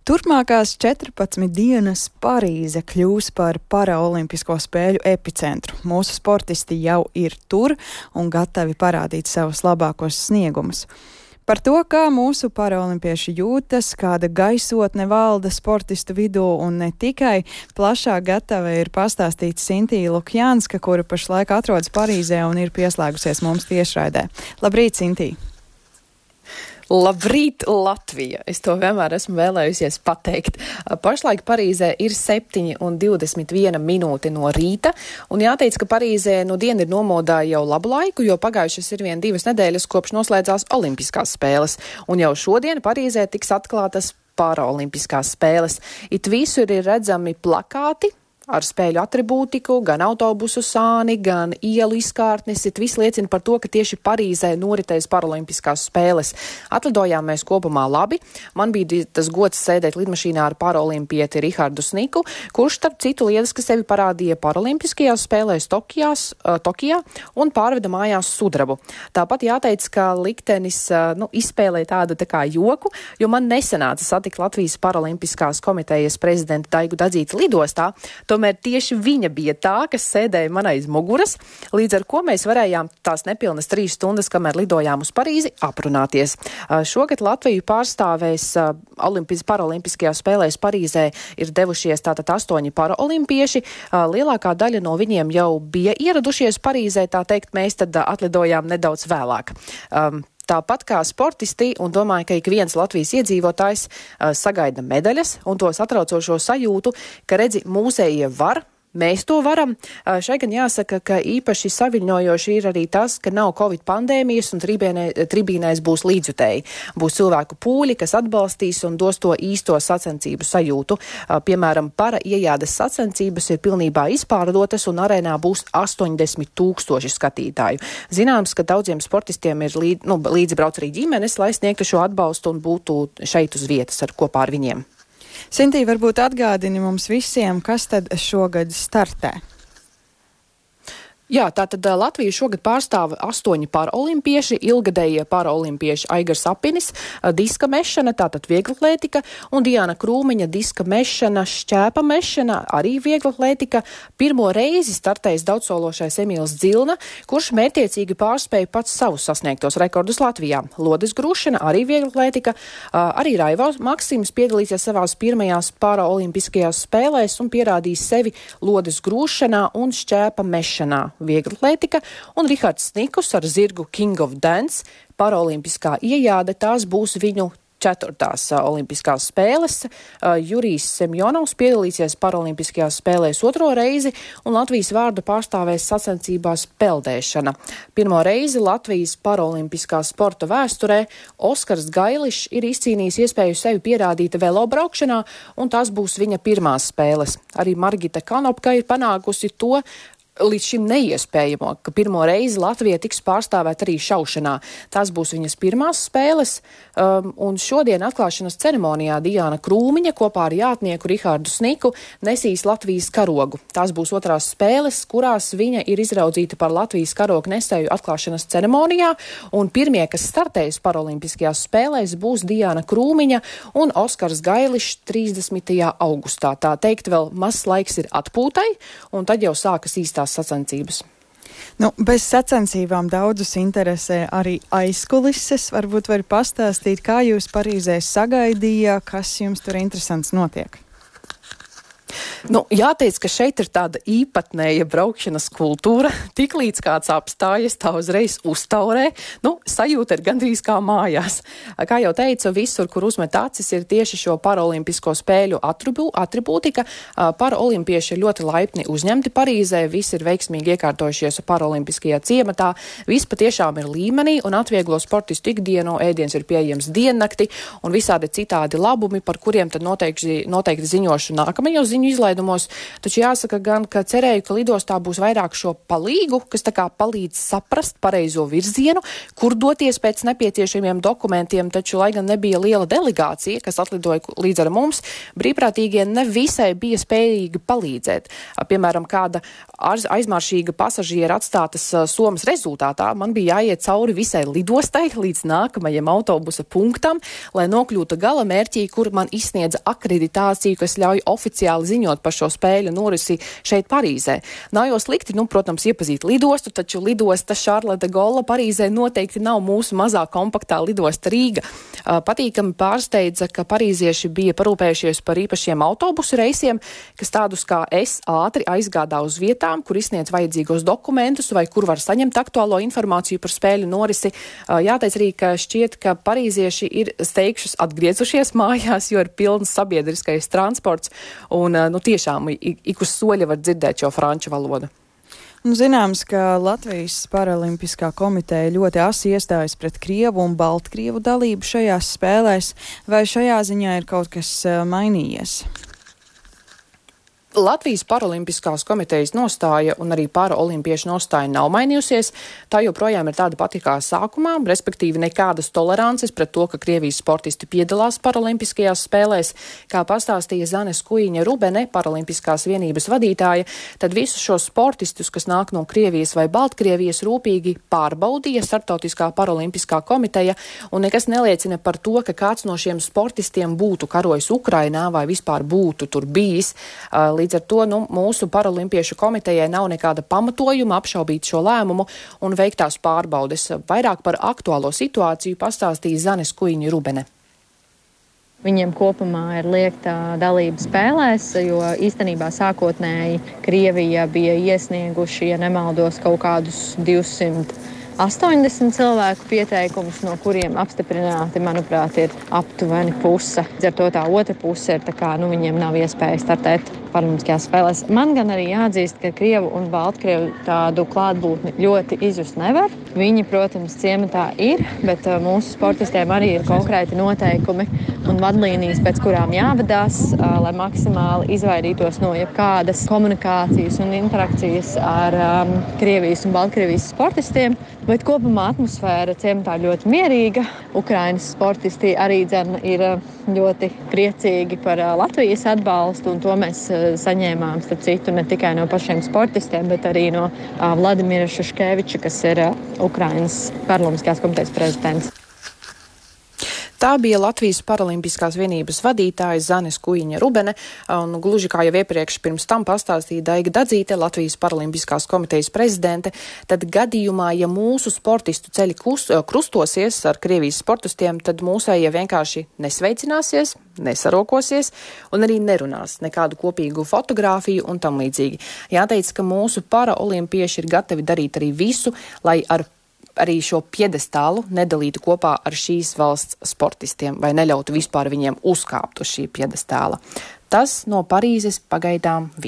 Turpmākās 14 dienas Parīze kļūs par paraolimpisko spēļu epicentru. Mūsu sportisti jau ir tur un gatavi parādīt savus labākos sniegumus. Par to, kā mūsu paraolimpieši jūtas, kāda gaisotne valda sportistu vidū un ne tikai, plašāk gatava ir pastāstīt Sintīja Lukjānska, kura pašlaik atrodas Parīzē un ir pieslēgusies mums tiešraidē. Labrīt, Sintīja! Labrīt, Latvija! Es to vienmēr esmu vēlējusies pateikt. Pašlaik Parīzē ir 7:21 minūte no rīta, un jāteic, ka Parīzē nu diena ir nomodā jau labu laiku, jo pagājušas ir vien 2 nedēļas, kopš noslēdzās Olimpiskās spēles, un jau šodien Parīzē tiks atklātas paraolimpiskās spēles. It visur ir redzami plakāti ar spēļu atribūtiku, gan autobusu sāni, gan ielu izkārtnes. Viss liecina par to, ka tieši Parīzē noritēs paraolimpiskās spēles. Atlidojām mēs kopumā labi. Man bija tas gods sēdēt lidmašīnā ar paraolimpieti Rihardu Sniku, kurš starp citu lieliski sevi parādīja paraolimpiskajās spēlēs Tokijā un pārveda mājās sudrabu. Tāpat jāteic, ka liktenis izspēlēja tādu tā kā joku, jo man nesanāca satikt Latvijas paraolimpiskās komitejas prezidentu Daigu Dadzīti lidostā. Tomēr tieši viņa bija tā, kas sēdēja man aiz muguras, līdz ar ko mēs varējām tās nepilnas 3 stundas, kamēr lidojām uz Parīzi, aprunāties. Šogad Latviju pārstāvēs paraolimpiskajās spēlēs Parīzē ir devušies tātad 8 paraolimpieši. Lielākā daļa no viņiem jau bija ieradušies Parīzē, tā teikt, mēs tad atlidojām nedaudz vēlāk. Tāpat kā sportisti, un domāju, ka ik viens Latvijas iedzīvotājs sagaida medaļas un to satraucošo sajūtu, ka redzi, mūsējie var, mēs to varam. Šai gan jāsaka, ka īpaši saviļņojoši ir arī tas, ka nav Covid pandēmijas un tribīnēs būs līdzjutēji. Būs cilvēku pūļi, kas atbalstīs un dos to īsto sacensību sajūtu. Piemēram, para iejādes sacensības ir pilnībā izpārdotas un arēnā būs 80,000 skatītāju. Zināms, ka daudziem sportistiem ir līdzi brauc arī ģimenes, lai sniegtu šo atbalstu un būtu šeit uz vietas kopā ar viņiem. Sintīja, varbūt atgādini mums visiem, kas tad šogad startē? Jā, tātad Latviju šogad pārstāv 8 paraolimpieši, ilgadējie paraolimpieši Aigars Apinis, diska mešana, tātad vieglatlētika, un Diana Krūmiņa, diska mešana, šķēpa mešana, arī vieglatlētika. Pirmo reizi startējis daudzsološais Emīls Dzilna, kurš mērķiecīgi pārspēja pats savus sasniegtos rekordus Latvijā. Lodes grūšana, arī vieglatlētika, arī Raivs Maksims piedalīsies savās pirmajās paraolimpiskajās spēlēs un pierādīs sevi lodes grūšanā un šķēpa mešanā. Vieglatlētika, un Rihards Snikus ar zirgu King of Dance. Paraolimpiskā iejāde, tās būs viņu 4. olimpiskās spēles. Jurijs Semjonovs piedalīsies paraolimpiskajās spēlēs 2. reizi, un Latvijas vārdu pārstāvēs sacensībās peldēšana. Pirmo reizi Latvijas paraolimpiskā sporta vēsturē Oskars Gailišs ir izcīnījis iespēju sevi pierādīt velobraukšanā, un tās būs viņa pirmās spēles. Arī Margita Kanopka ir panākusi to līdz šim neiespējamo, ka pirmo reizi Latvija tiks pārstāvēta arī šaušanā. Tās būs viņas pirmās spēles, un šodien atklāšanas ceremonijā Diana Krūmiņa kopā ar jātnieku Rihardu Sniku nesīs Latvijas karogu. Tās būs 2. spēles, kurās viņa ir izraudzīta par Latvijas karogu nesēju atklāšanas ceremonijā, un pirmie, kas startējas paraolimpiskajās spēlēs, būs Diana Krūmiņa un Oskars Gailišs 30. augustā. Tā teikt, vēl mazs laiks ir atpūtai, un tad jau sākas īstās sacensības. Bez sacensībām daudzus interesē arī aizkulises. Varbūt vari pastāstīt, kā jūs Parīzē sagaidīja, kas jums tur interesants notiek? Jāteic, ka šeit ir tāda īpatnēja braukšanas kultūra. Tiklīdz kāds apstājas, tā uzreiz uztaurē. Sajūta ir gandrīz kā mājās. Kā jau teicu, visur, kur uzmet acis, ir tieši šo paraolimpisko spēļu atribūtika. Paraolimpieši ir ļoti laipni uzņemti Parīzē. Visi ir veiksmīgi iekārtojušies paraolimpiskajā ciematā. Viss patiešām ir līmenī un atvieglo sportistu ikdienu. Ēdiens ir pieejams diennakti un visādi citādi labumi, par kuriem tad noteikti ziņošu nākamajos ziņu izlaidumos. izlaidumos, taču jāsaka gan, ka cerēju, ka lidostā būs vairāk šo palīgu, kas tā kā palīdz saprast pareizo virzienu, kur doties pēc nepieciešamiem dokumentiem, taču, lai gan nebija liela delegācija, kas atlidoja līdz ar mums, brīvprātīgie ne visai bija spējīgi palīdzēt. Piemēram, kāda aizmaršīga pasažiera atstātas somas rezultātā man bija jāiet cauri visai lidostai līdz nākamajam autobusa punktam, lai nokļūtu gala mērķī, kur man izsniedza akreditāciju, kas ļauj oficiāli ziņot par šo spēļu norisi šeit Parīzē. Nav jau slikti, protams, iepazīt lidostu, taču lidosta Charles de Gaulle Parīzē noteikti nav mūsu mazā kompaktā lidosta Rīga. Patīkami pārsteidza, ka parīzieši bija parūpējušies par īpašiem autobusu reisiem, kas tādus kā es ātri aizgādā uz vietām, kur izsniedz vajadzīgos dokumentus vai kur var saņemt aktuālo informāciju par spēļu norisi. Jāteic arī, ka šķiet, ka parīzieši ir steigšus atgriezušies mājās, jo ir pilns sabiedriskais transports un tiešām ik uz soļa var dzirdēt šo franču valodu. Zināms, ka Latvijas Paralimpiskā komiteja ļoti asi iestājas pret Krievu un Baltkrievu dalību šajās spēlēs, vai šajā ziņā ir kaut kas mainījies? Latvijas Paralimpiskās komitejas nostāja un arī paraolimpiešu nostāja nav mainījusies. Tā joprojām ir tāda pati kā sākumā, respektīvi nekādas tolerances pret to, ka Krievijas sportisti piedalās paralimpiskajās spēlēs. Kā pastāstīja Zane Skujiņa-Rubene, Paralimpiskās vienības vadītāja, tad visus šos sportistus, kas nāk no Krievijas vai Baltkrievijas, rūpīgi pārbaudīja Startautiskā paralimpiskā komiteja, un nekas neliecina par to, ka kāds no šiem sportistiem būtu karojis Ukrainā vai vispār būtu tur bijis. Līdz ar to mūsu paralimpiešu komitejai nav nekāda pamatojuma apšaubīt šo lēmumu un veiktās pārbaudes. Vairāk par aktuālo situāciju pastāstīja Zane Skujiņa-Rubene. Viņiem kopumā ir liekta dalība spēlēs, jo īstenībā sākotnēji Krievija bija iesnieguši, ja nemaldos, kaut kādus 280 cilvēku pieteikumus, no kuriem apstiprināti, manuprāt, ir aptuveni puse. Ar to tā otra puse ir tā kā, viņiem nav iespēja startēt paralimpiskajās spēlēs. Man gan arī jāatzīst, ka Krievu un Baltkrievu tādu klātbūtni ļoti izjust nevar. Viņi, protams, ciematā ir, bet mūsu sportistiem arī ir konkrēti noteikumi un vadlīnijas, pēc kurām jāvadās, lai maksimāli izvairītos no jebkādas komunikācijas un interakcijas ar Krievijas un Baltkrievijas sportistiem. Bet kopumā atmosfēra ciematā ļoti mierīga. Ukrainas sportisti arī ir ļoti priecīgi par Latvijas atbalstu, un to mēs saņēmām, starp citu, ne tikai no pašiem sportistiem, bet arī no Vladimira Šuškeviča, kas ir Ukrainas Paralimpiskās komitejas prezidents. Tā bija Latvijas Paralimpiskās vienības vadītāja Zane Skujiņa-Rubene, un gluži kā jau iepriekš pirms tam pastāstīja Daiga Dadzīte, Latvijas Paralimpiskās komitejas prezidente, tad gadījumā, ja mūsu sportistu ceļi krustosies ar Krievijas sportistiem, tad mūsējie vienkārši nesveicināsies, nesarokosies un arī nerunās nekādu kopīgu fotogrāfiju un tam līdzīgi. Jāteic, ka mūsu paraolimpieši ir gatavi darīt arī visu, lai arī šo piedestālu nedalītu kopā ar šīs valsts sportistiem vai neļautu vispār viņiem uzkāpt uz šī piedestāla. Tas no Parīzes pagaidām viss.